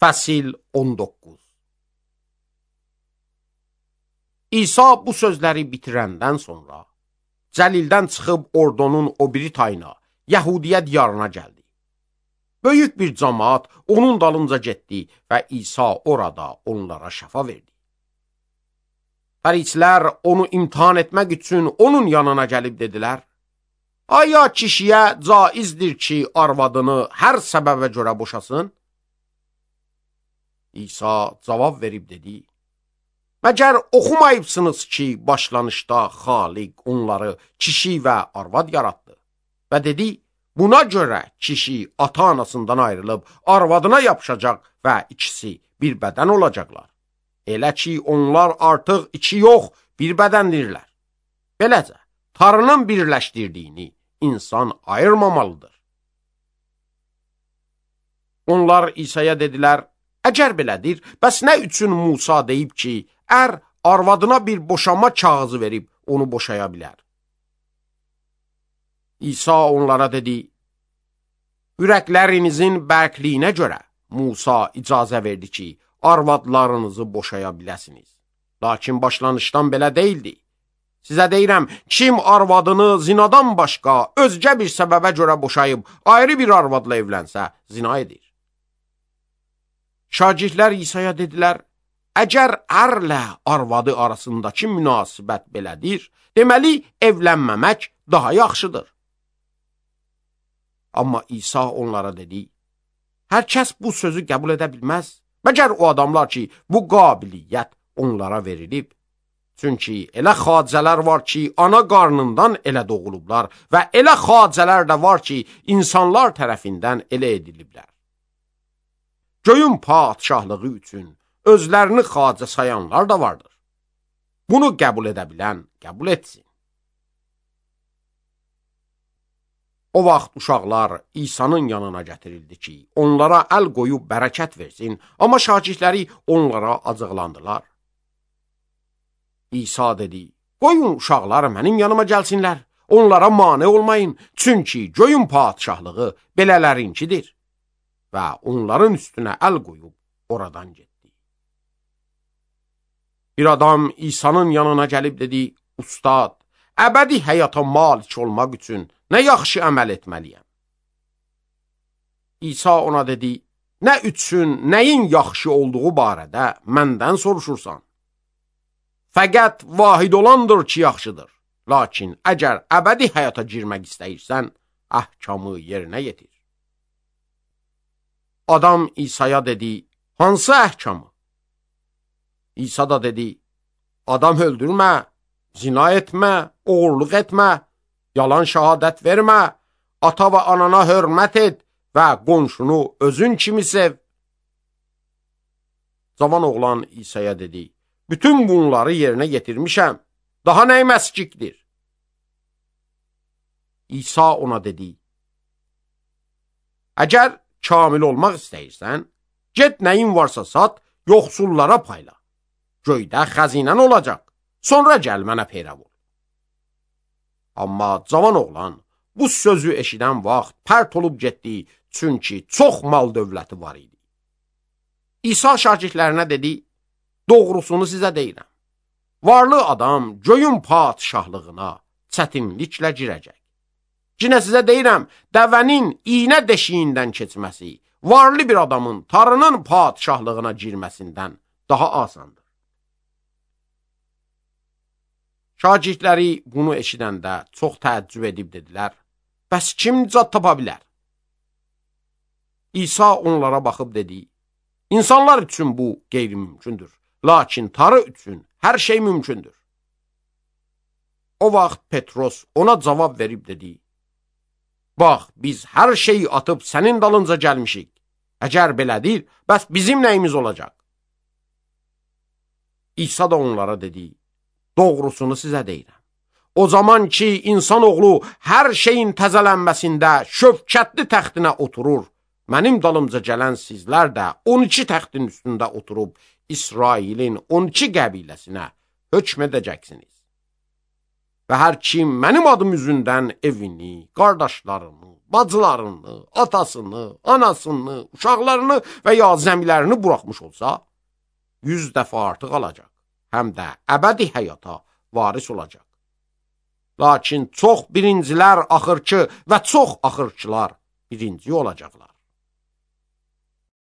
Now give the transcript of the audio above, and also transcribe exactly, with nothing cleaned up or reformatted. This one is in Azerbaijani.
Fəsil on doqquz. İsa bu sözləri bitirəndən sonra Cəlildən çıxıb ordunun o biri tayına, Yəhudiyə diyarına gəldi. Böyük bir cəmaət onun dalınca getdi və İsa orada onlara şəfa verdi. Fərisilər onu imtahan etmək üçün onun yanına gəlib dedilər: "Aya kişiyə caizdir ki, arvadını hər səbəbə görə boşasın?" İsa cavab verib dedi: "Məgər oxumayıbsınız ki, başlanışda Xaliq onları kişi və arvad yaratdı və dedi, buna görə kişi ata-anasından ayrılıb arvadına yapışacaq və ikisi bir bədən olacaqlar. Elə ki, onlar artıq iki yox, bir bədəndirlər. Beləcə, Tanrının birləşdirdiyini insan ayırmamalıdır." Onlar İsa'ya dedilər: "Əgər belədir, bəs nə üçün Musa deyib ki, ər arvadına bir boşanma kağızı verib onu boşaya bilər?" İsa onlara dedi: "Ürəklərinizin bərkliyinə görə Musa icazə verdi ki, arvadlarınızı boşaya biləsiniz. Lakin başlanışdan belə deyildi. Sizə deyirəm, kim arvadını zinadan başqa özgə bir səbəbə görə boşayıb ayrı bir arvadla evlənsə, zina edir." Şagirdlər İsa'ya dedilər: "Əgər ərlə arvadı arasındakı münasibət belədir, deməli evlənməmək daha yaxşıdır." Amma İsa onlara dedi: "Hər kəs bu sözü qəbul edə bilməz, məgər o adamlar ki, bu qabiliyyət onlara verilib. Çünki elə xacələr var ki, ana qarnından elə doğulublar və elə xacələr də var ki, insanlar tərəfindən elə ediliblər. Göyün padşahlığı üçün özlərini xacə sayanlar da vardır. Bunu qəbul edə bilən qəbul etsin." O vaxt uşaqlar İsa'nın yanına gətirildi ki, onlara əl qoyub bərəkət versin, amma şagirdləri onlara acıqlandılar. İsa dedi: "Qoyun uşaqlar mənim yanıma gəlsinlər, onlara mane olmayın, çünki göyün padşahlığı belələrinkidir." Və onların üstünə əl qoyub oradan getdi. Bir adam İsa'nın yanına gəlib dedi: "Ustad, əbədi həyata malik olmaq üçün nə yaxşı əməl etməliyəm?" İsa ona dedi: "Nə üçün, nəyin yaxşı olduğu barədə məndən soruşursan? Fəqət vahid olandır ki, yaxşıdır. Lakin əgər əbədi həyata girmək istəyirsən, əhkamı yerinə yetir." Adam İsa'ya dedi: "Hansı əhkamı?" İsa da dedi: "Adam öldürmə, zina etmə, oğurluq etmə, yalan şəhadət vermə, ata və anana hörmət et və qonşunu özün kimi sev." Cavan oğlan İsa'ya dedi: "Bütün bunları yerinə yetirmişəm, daha nəyi məskikdir?" İsa ona dedi: "Əgər kamil olmaq istəyirsən, get nəyin varsa sat, yoxsullara payla. Göydə xəzinən olacaq, sonra gəl mənə peyrav ol." Amma cavan oğlan bu sözü eşidən vaxt pərt olub getdi, çünki çox mal dövləti var idi. İsa şagirdlərinə dedi: "Doğrusunu sizə deyirəm, varlı adam göyün padşahlığına çətinliklə girəcək. Yenə sizə deyirəm, dəvənin iynə deşiyindən keçməsi varlı bir adamın Tanrının padşahlığına girməsindən daha asandır." Şagirdləri bunu eşidəndə çox təəccüb edib dedilər: "Bəs kim nicat tapa bilər?" İsa onlara baxıb dedi: "İnsanlar üçün bu qeyri-mümkündür, lakin Tanrı üçün hər şey mümkündür." O vaxt Petros ona cavab verib dedi: "Bax, biz hər şeyi atıb sənin dalınca gəlmişik. Əgər belədir, bəs bizim nəyimiz olacaq?" İsa da onlara dedi: "Doğrusunu sizə deyirəm. O zaman ki, insanoğlu hər şeyin təzələnməsində şövkətli təxtinə oturur, mənim dalımca gələn sizlər də on iki təxtin üstündə oturub İsrailin on iki qəbiləsinə hökm edəcəksiniz. Və hər kim mənim adım üzündən evini, qardaşlarını, bacılarını, atasını, anasını, uşaqlarını və ya zəmilərini buraxmış olsa, yüz dəfə artıq alacaq, həm də əbədi həyata varis olacaq. Lakin çox birincilər axırçı və çox axırçılar birinci olacaqlar.